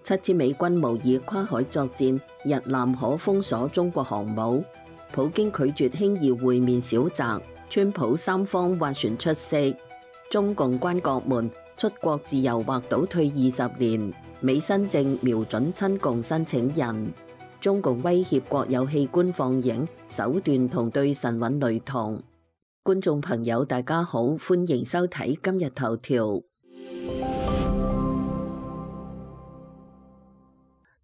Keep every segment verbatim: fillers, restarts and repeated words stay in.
七支美軍模擬跨海作戰，日南可封鎖中國航母。普京拒絕輕易會面小澤，川普三方斡旋出色。中共關國門，出國自由或倒退二十年。美新政瞄準親共申請人。中共威脅國有器官放映，手段同對神韻雷同。觀眾朋友大家好，歡迎收睇今日頭條。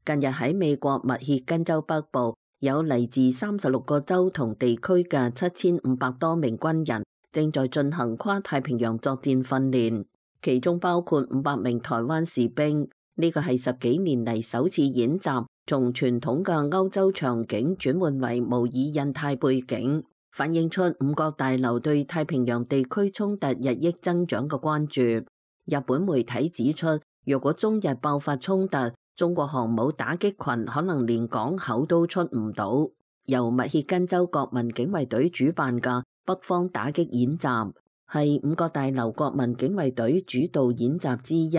近日喺美國密歇根州北部，有嚟自三十六個州同地區嘅七千五百多名軍人正在進行跨太平洋作戰訓練，其中包括五百名台灣士兵。呢個係十幾年嚟首次演習，從傳統嘅歐洲場景轉換為模擬印太背景，反映出五角大樓對太平洋地區衝突日益增長嘅關注。日本媒體指出，若果中日爆發衝突，中國航母打擊群可能連港口都出唔到。由密歇根州國民警衛隊主辦嘅北方打擊演習，係五角大樓國民警衛隊主導演習之一。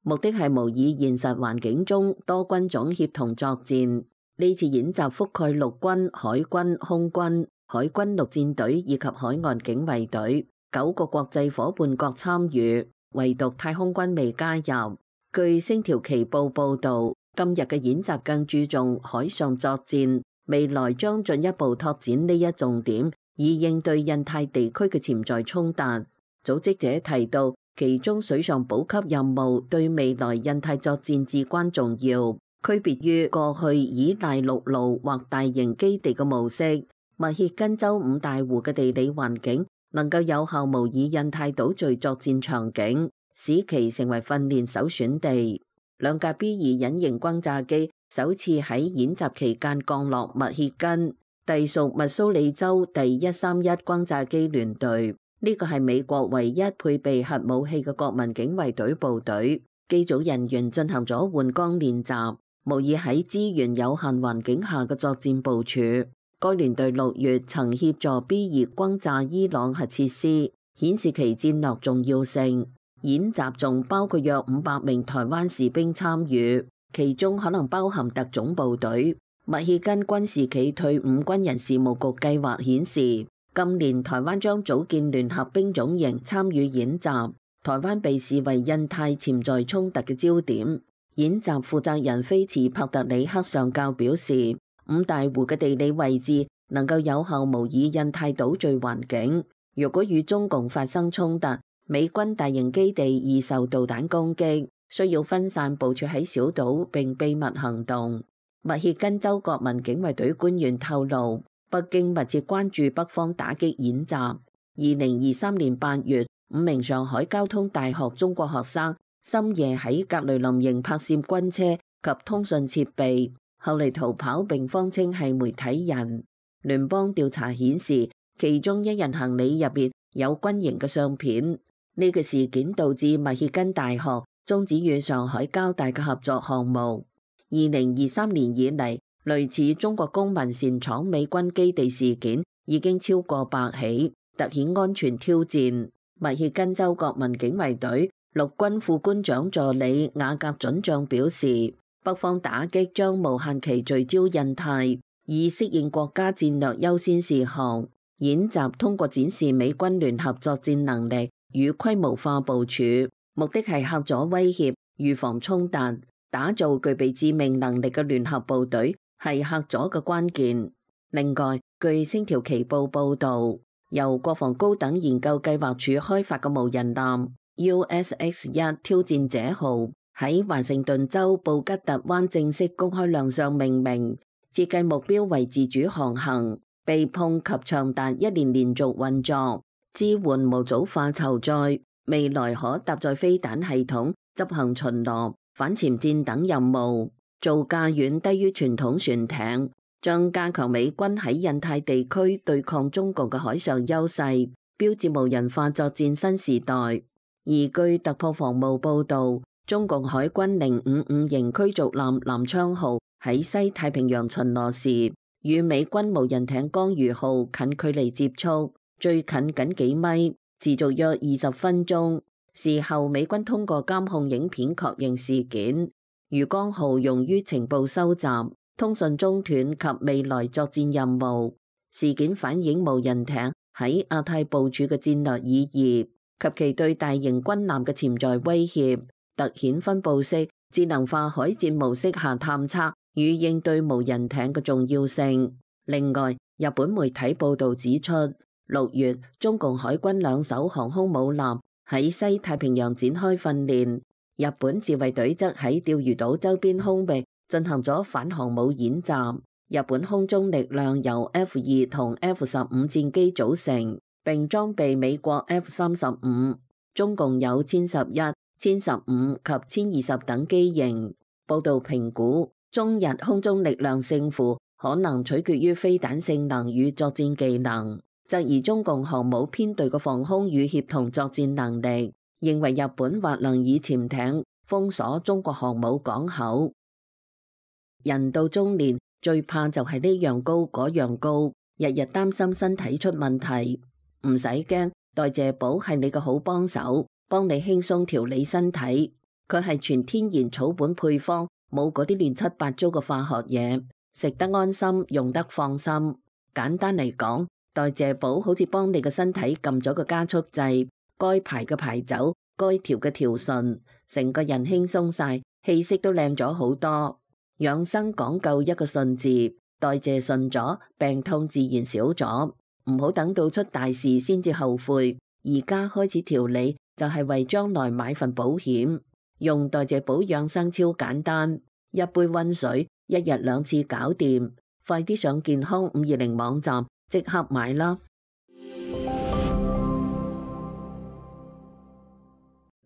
目的係模擬現實環境中多軍種協同作戰。呢次演習覆蓋陸軍、海軍、空軍、海軍陸戰隊以及海岸警衛隊，九個國際夥伴國參與，唯獨太空軍未加入。據星條旗報報導，今日嘅演習更注重海上作戰，未來將進一步拓展呢一重點，以應對印太地區嘅潛在衝突。組織者提到，其中水上補給任務對未來印太作戰至關重要，區別於過去依賴陸路或大型基地嘅模式。密歇根州五大湖嘅地理環境能夠有效模擬印太島嶼作戰場景，使其成為訓練首選地。兩架 B 二隱形轟炸機首次喺演習期間降落密歇根，隸屬密蘇里州第一三一轟炸機聯隊。呢個係美國唯一配備核武器嘅國民警衛隊部隊。機組人員進行咗換裝練習，模擬喺資源有限環境下嘅作戰部署。該聯隊六月曾協助 B 二轟炸伊朗核設施，顯示其戰略重要性。演習仲包括約五百名台灣士兵參與，其中可能包含特種部隊。密歇根軍事暨退伍軍人事務局計劃顯示，今年台灣將組建聯合兵種營參與演習，台灣被視為印太潛在衝突嘅焦點。演習負責人菲茨帕特里克上校表示，五大湖嘅地理位置能夠有效模擬印太島嶼環境。如果與中共發生衝突，美軍大型基地易受導彈攻擊，需要分散部署喺小島並秘密行動。密歇根州國民警衛隊官員透露，北京密切關注北方打擊演習。二零二三年八月，五名上海交通大學中國學生深夜喺格雷林營拍攝軍車及通訊設備，後嚟逃跑並謊稱係媒體人。聯邦調查顯示，其中一人行李入邊有軍營嘅相片。呢個事件導致密歇根大學終止與上海交大嘅合作項目。二零二三年以嚟，類似中國公民擅闖美軍基地事件已經超過百起，凸顯安全挑戰。密歇根州國民警衛隊陸軍副官長助理雅格准將表示，北方打擊將無限期聚焦印太，以適應國家戰略優先事項。演習通過展示美軍聯合作戰能力與規模化部署，目的係嚇阻威脅、預防衝突、打造具備致命能力嘅聯合部隊，係嚇阻嘅關鍵。另外，據星條旗報報導，由國防高等研究計劃署開發嘅無人艦 U S X 一挑戰者號喺華盛頓州布吉特灣正式公開亮相命名，設計目標為自主航行、避碰及長達一年連續運作。支援模組化籌載，未來可搭載飛彈系統執行巡邏、反潛戰等任務，造價遠低於傳統船艇，將加強美軍喺印太地區對抗中共嘅海上優勢，標誌無人化作戰新時代。而據突破防務報導，中共海軍零五五型驅逐艦南昌號喺西太平洋巡邏時，與美軍無人艇江魚號近距離接觸。最近僅幾米，持續約二十分鐘。事後美軍通過監控影片確認事件。魚江號用於情報收集、通訊中斷及未來作戰任務。事件反映無人艇喺亞太部署嘅戰略意義及其對大型軍艦嘅潛在威脅，凸顯分布式智能化海戰模式下探測與應對無人艇嘅重要性。另外，日本媒體報導指出，六月中共海軍兩艘航空母艦喺西太平洋展開訓練，日本自衛隊則喺釣魚島周邊空域進行咗反航母演習。日本空中力量由 F 二同 F 十五戰機組成，並裝備美國 F 三十五，中共有殲十一、殲十五及殲二十等機型。報導評估，中日空中力量勝負可能取決於飛彈性能與作戰技能，質疑中共航母編隊嘅防空與協同作戰能力，認為日本或能以潛艇封鎖中國航母港口。人到中年最怕就係呢樣高嗰樣高，日日擔心身體出問題。唔使驚，代謝寶係你個好幫手，幫你輕鬆調理身體。佢係全天然草本配方，冇嗰啲亂七八糟嘅化學嘢，食得安心，用得放心。簡單嚟講，代謝寶好似幫你個身體撳咗個加速掣，該排嘅排走，該調嘅調順，成個人輕鬆晒，氣色都靚咗好多。養生講究一個順字，代謝順咗，病痛自然少咗。唔好等到出大事先至後悔，而家開始調理就係為將來買份保險。用代謝寶養生超簡單，一杯溫水，一日兩次搞掂。快啲上健康五二零網站即刻買啦！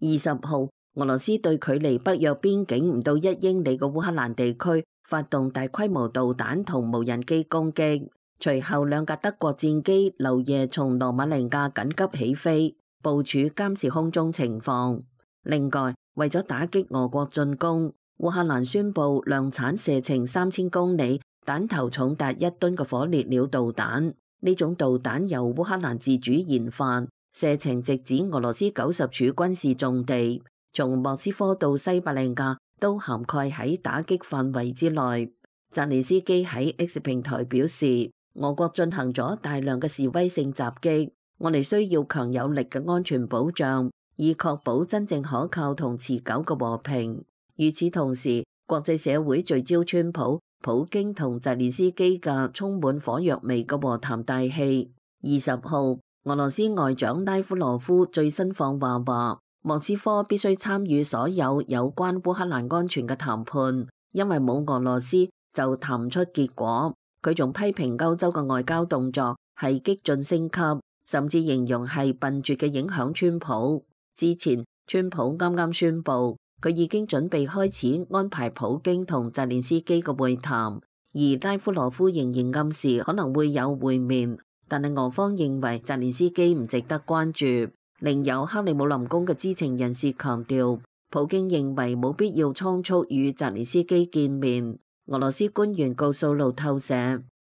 二十號，俄羅斯對距離北約邊境唔到一英里嘅烏克蘭地區發動大規模導彈同無人機攻擊，隨後兩架德國戰機漏夜從羅馬尼亞緊急起飛，部署監視空中情況。另外，為咗打擊俄國進攻，烏克蘭宣布量產射程三千公里、彈頭重達一噸嘅火烈鳥導彈。呢種導彈由烏克蘭自主研發，射程直指俄羅斯九十處軍事重地，從莫斯科到西伯利亞都涵蓋喺打擊範圍之內。澤連斯基喺 X 平台表示，俄國進行咗大量嘅示威性襲擊，我哋需要強有力嘅安全保障，以確保真正可靠同持久嘅和平。與此同時，國際社會聚焦川普、普京同澤連斯基嘅充滿火藥味嘅和談大戲。二十號，俄羅斯外長拉夫羅夫最新放話話，莫斯科必須參與所有有關烏克蘭安全嘅談判，因為冇俄羅斯就談唔出結果。佢仲批評歐洲嘅外交動作係激進升級，甚至形容係笨拙嘅影響川普。之前，川普啱啱宣布佢已經準備開始安排普京同澤連斯基嘅會談，而拉夫羅夫仍然暗示可能會有會面，但係俄方認為澤連斯基唔值得關注。另有克里姆林宮嘅知情人士強調，普京認為冇必要倉促與澤連斯基見面。俄羅斯官員告訴路透社，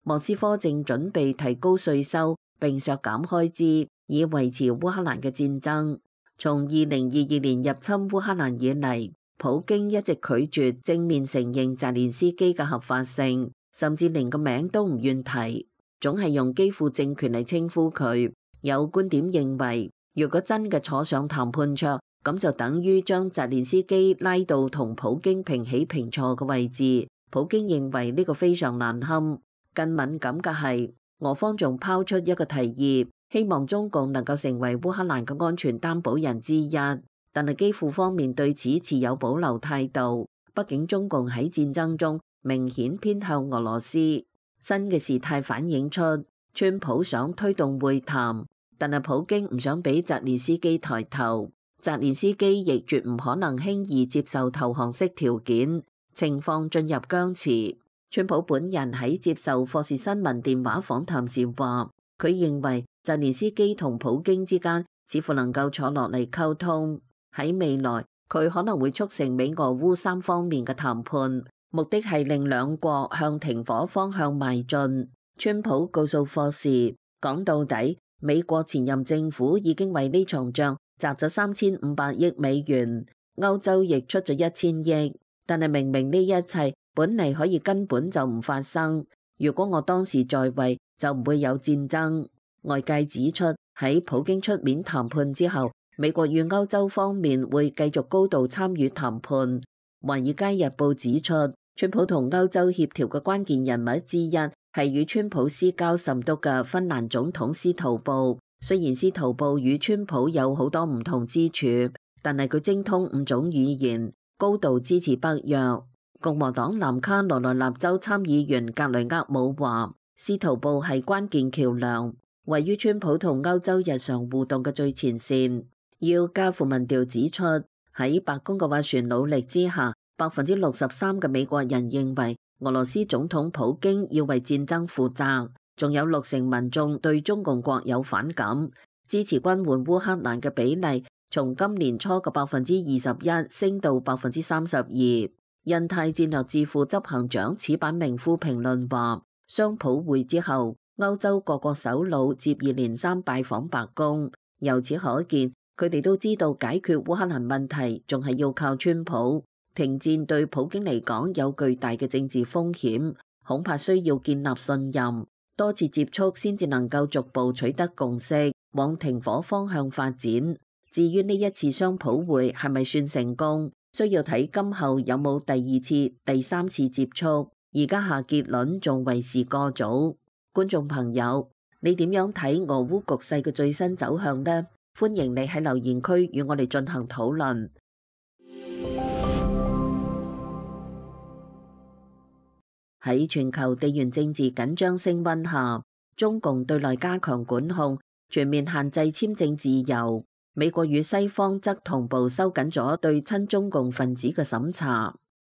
莫斯科正準備提高稅收並削減開支，以維持烏克蘭嘅戰爭。從二零二二年入侵烏克蘭以嚟，普京一直拒絕正面承認澤連斯基嘅合法性，甚至連個名都唔願提，總係用基輔政權嚟稱呼佢。有觀點認為，如果真嘅坐上談判桌，咁就等於將澤連斯基拉到同普京平起平坐嘅位置。普京認為呢個非常難堪。更敏感嘅係，俄方仲拋出一個提議，希望中共能夠成為烏克蘭嘅安全擔保人之一。但係基輔方面對此持有保留態度，畢竟中共喺戰爭中明顯偏向俄羅斯。新嘅事態反映出，川普想推動會談，但係普京唔想俾澤連斯基抬頭，澤連斯基亦絕唔可能輕易接受投降式條件。情況進入僵持。川普本人喺接受霍士新聞電話訪談時話，佢認為澤連斯基同普京之間似乎能夠坐落嚟溝通。喺未來，佢可能會促成美俄烏三方面嘅談判，目的係令兩國向停火方向邁進。川普告訴霍士，講到底，美國前任政府已經為呢場仗砸咗三千五百億美元，歐洲亦出咗一千億。但係明明呢一切本嚟可以根本就唔發生。如果我當時在位，就唔會有戰爭。外界指出，喺普京出面談判之後，美國與歐洲方面會繼續高度參與談判。華爾街日報指出，川普同歐洲協調嘅關鍵人物之一係與川普私交甚篤嘅芬蘭總統司徒布。雖然司徒布與川普有好多唔同之處，但係佢精通五種語言，高度支持北約。共和黨南卡羅來納州參議員格雷厄姆話，司徒布係關鍵橋樑，位於川普同歐洲日常互動嘅最前線。要加付民調指出，喺白宮嘅斡旋努力之下，百分之六十三嘅美國人認為俄羅斯總統普京要為戰爭負責，仲有六成民眾對中共國有反感，支持軍援烏克蘭嘅比例從今年初嘅百分之二十一升到百分之三十二。印太戰略智庫執行長矢板明夫評論話，雙普會之後，歐洲各國首腦接二連三拜訪白宮，由此可見，佢哋都知道解決烏克蘭問題仲係要靠川普。停戰對普京嚟講有巨大嘅政治風險，恐怕需要建立信任，多次接觸先至能夠逐步取得共識，往停火方向發展。至於呢一次雙普會係咪算成功，需要睇今後有冇第二次、第三次接觸。而家下結論仲為時過早。觀眾朋友，你點樣睇俄烏局勢嘅最新走向呢？歡迎你喺留言區與我哋進行討論。喺全球地緣政治緊張升溫下，中共對內加強管控，全面限制簽證自由。美國與西方則同步收緊咗對親中共分子嘅審查。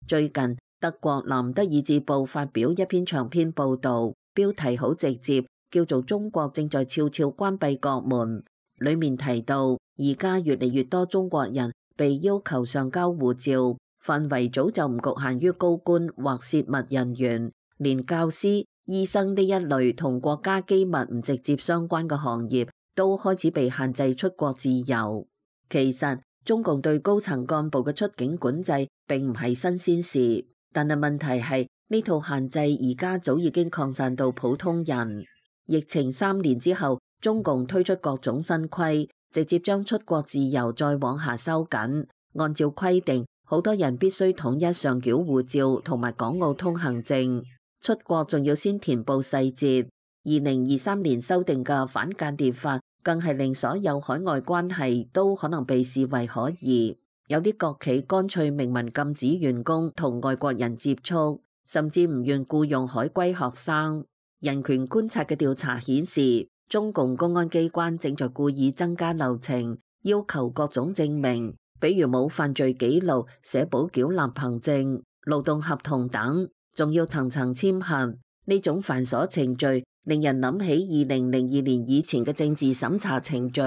最近，德國南德意志報發表一篇長篇報導，標題好直接，叫做《中國正在悄悄關閉國門》。裡面提到，而家越嚟越多中國人被要求上交護照，範圍早就唔局限於高官或泄密人員，連教師、醫生呢一類同國家機密唔直接相關嘅行業，都開始被限制出國自由。其實中共對高層幹部嘅出境管制並唔係新鮮事，但係問題係呢套限制而家早已經擴散到普通人。疫情三年之後，中共推出各種新規，直接將出國自由再往下收緊。按照規定，好多人必須統一上繳護照同埋港澳通行證，出國仲要先填報細節。二零二三年修訂嘅反間諜法，更係令所有海外關係都可能被視為可疑。有啲國企乾脆明文禁止員工同外國人接觸，甚至唔願僱用海歸學生。人權觀察嘅調查顯示，中共公安機關正在故意增加流程，要求各種證明，比如冇犯罪記錄、社保繳納憑證、勞動合同等，仲要層層簽核。呢種繁瑣程序令人諗起二零零二年以前嘅政治審查程序。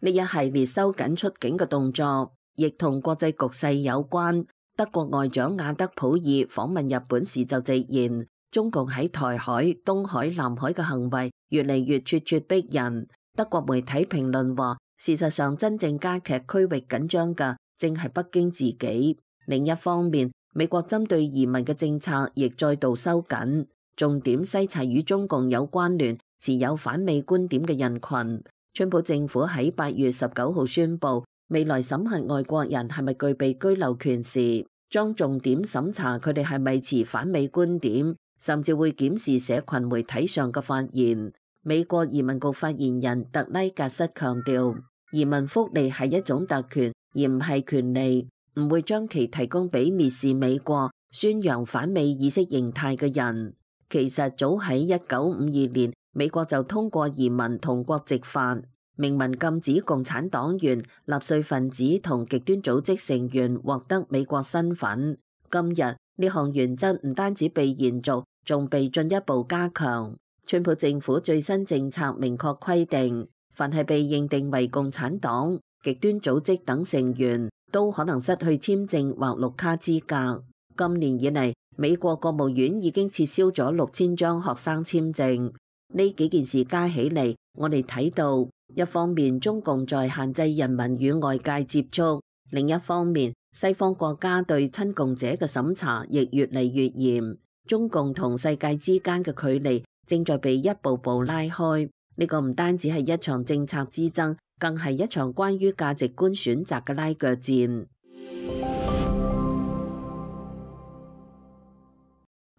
呢一系列收緊出境嘅動作，亦同國際局勢有關。德國外長亞德普爾訪問日本時就直言，中共喺台海、東海、南海嘅行為越嚟越咄咄逼人。德國媒體評論話，事實上真正加劇區域緊張嘅正係北京自己。另一方面，美國針對移民嘅政策亦再度收緊，重點篩查與中共有關聯、持有反美觀點嘅人群。川普政府喺八月十九號宣布，未來審核外國人係咪具備居留權時，將重點審查佢哋係咪持反美觀點，甚至會檢視社群媒體上嘅發言。美國移民局發言人特拉格瑟強調，移民福利係一種特權，而唔係權利，唔會將其提供俾蔑視美國、宣揚反美意識形態嘅人。其實早喺一九五二年，美國就通過移民同國籍法，明文禁止共產黨員、納粹分子同極端組織成員獲得美國身份。今日呢項原則唔單止被延續，仲被進一步加強。川普政府最新政策明確規定，凡係被認定為共產黨、極端組織等成員，都可能失去簽證或綠卡資格。今年以嚟，美國國務院已經撤銷咗六千張學生簽證。呢幾件事加起嚟，我哋睇到，一方面中共在限制人民與外界接觸，另一方面西方國家對親共者嘅審查亦越嚟越嚴，中共同世界之間嘅距離正在被一步步拉開。呢個唔單止係一場政策之爭，更係一場關於價值觀選擇嘅拉鋸戰。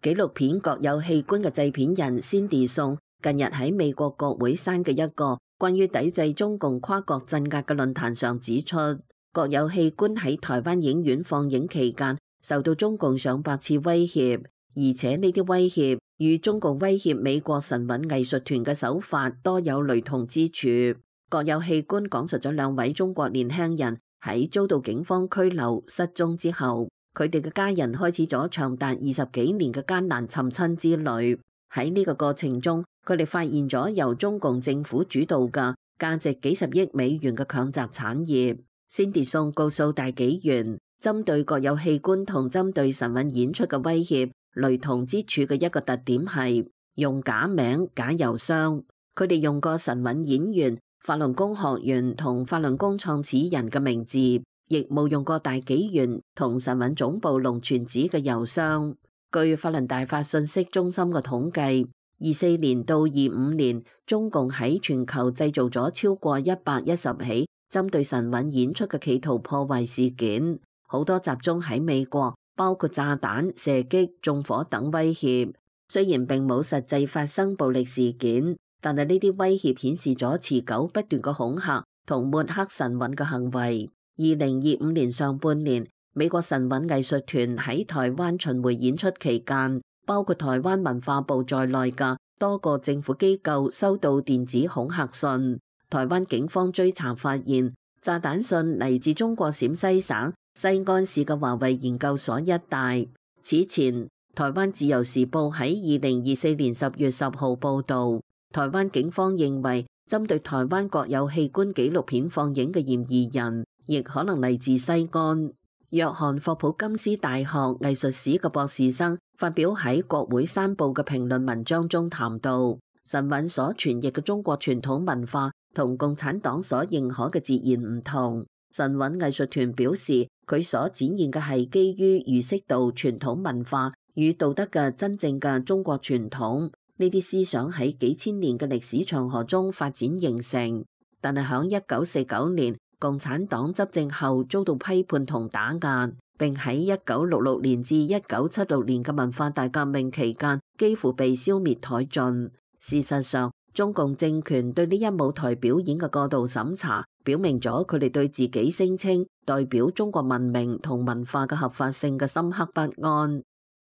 紀錄片《國有器官》嘅製片人 Cindy Song 近日喺美國國會山嘅一個關於抵制中共跨國鎮壓嘅論壇上指出，《國有器官》喺台灣影院放映期間受到中共上百次威脅，而且呢啲威脅與中共威脅美國神韻藝術團嘅手法多有雷同之處。《國有器官》講述咗兩位中國年輕人喺遭到警方拘留失蹤之後，佢哋嘅家人開始咗長達二十幾年嘅艱難尋親之旅。喺呢個過程中，佢哋發現咗由中共政府主導嘅價值幾十億美元嘅強襲產業。Cindy Song 告訴大紀元，針對國有器官同針對神韻演出嘅威脅雷同之處嘅一個特點係用假名、假郵箱。佢哋用過神韻演員、法輪功學員同法輪功創始人嘅名字，亦冇用過大紀元同神韻總部龍泉寺嘅郵箱。據法輪大法信息中心嘅統計，二四年到二五年，中共喺全球製造咗超過一百一十起針對神韻演出嘅企圖破壞事件，好多集中喺美國，包括炸彈、射擊、縱火等威脅。雖然並冇實際發生暴力事件，但係呢啲威脅顯示咗持久不斷嘅恐嚇同抹黑神韻嘅行為。二零二五年上半年，美國神韻藝術團喺台灣巡迴演出期間，包括台灣文化部在內嘅多個政府機構收到電子恐嚇信。台灣警方追查發現，炸彈信嚟自中國陝西省西安市嘅華為研究所一帶。此前，台灣自由時報喺二零二四年十月十號報導，台灣警方認為針對台灣國有器官紀錄片放映嘅嫌疑人，亦可能嚟自西安。約翰霍普金斯大學藝術史嘅博士生發表喺國會山報嘅評論文章中談到，神韻所傳譯嘅中國傳統文化同共產黨所認可嘅截然唔同。神韻藝術團表示，佢所展現嘅係基於儒釋道傳統文化與道德嘅真正嘅中國傳統，呢啲思想喺幾千年嘅歷史長河中發展形成。但係響一九四九年共產黨執政後遭到批判同打壓，並喺一九六六年至一九七六年嘅文化大革命期間幾乎被消滅殆盡。事實上，中共政權對呢一舞台表演嘅過度審查，表明咗佢哋對自己聲稱代表中國文明同文化嘅合法性嘅深刻不安。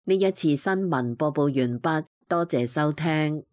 呢一次新聞播報完畢，多謝收聽。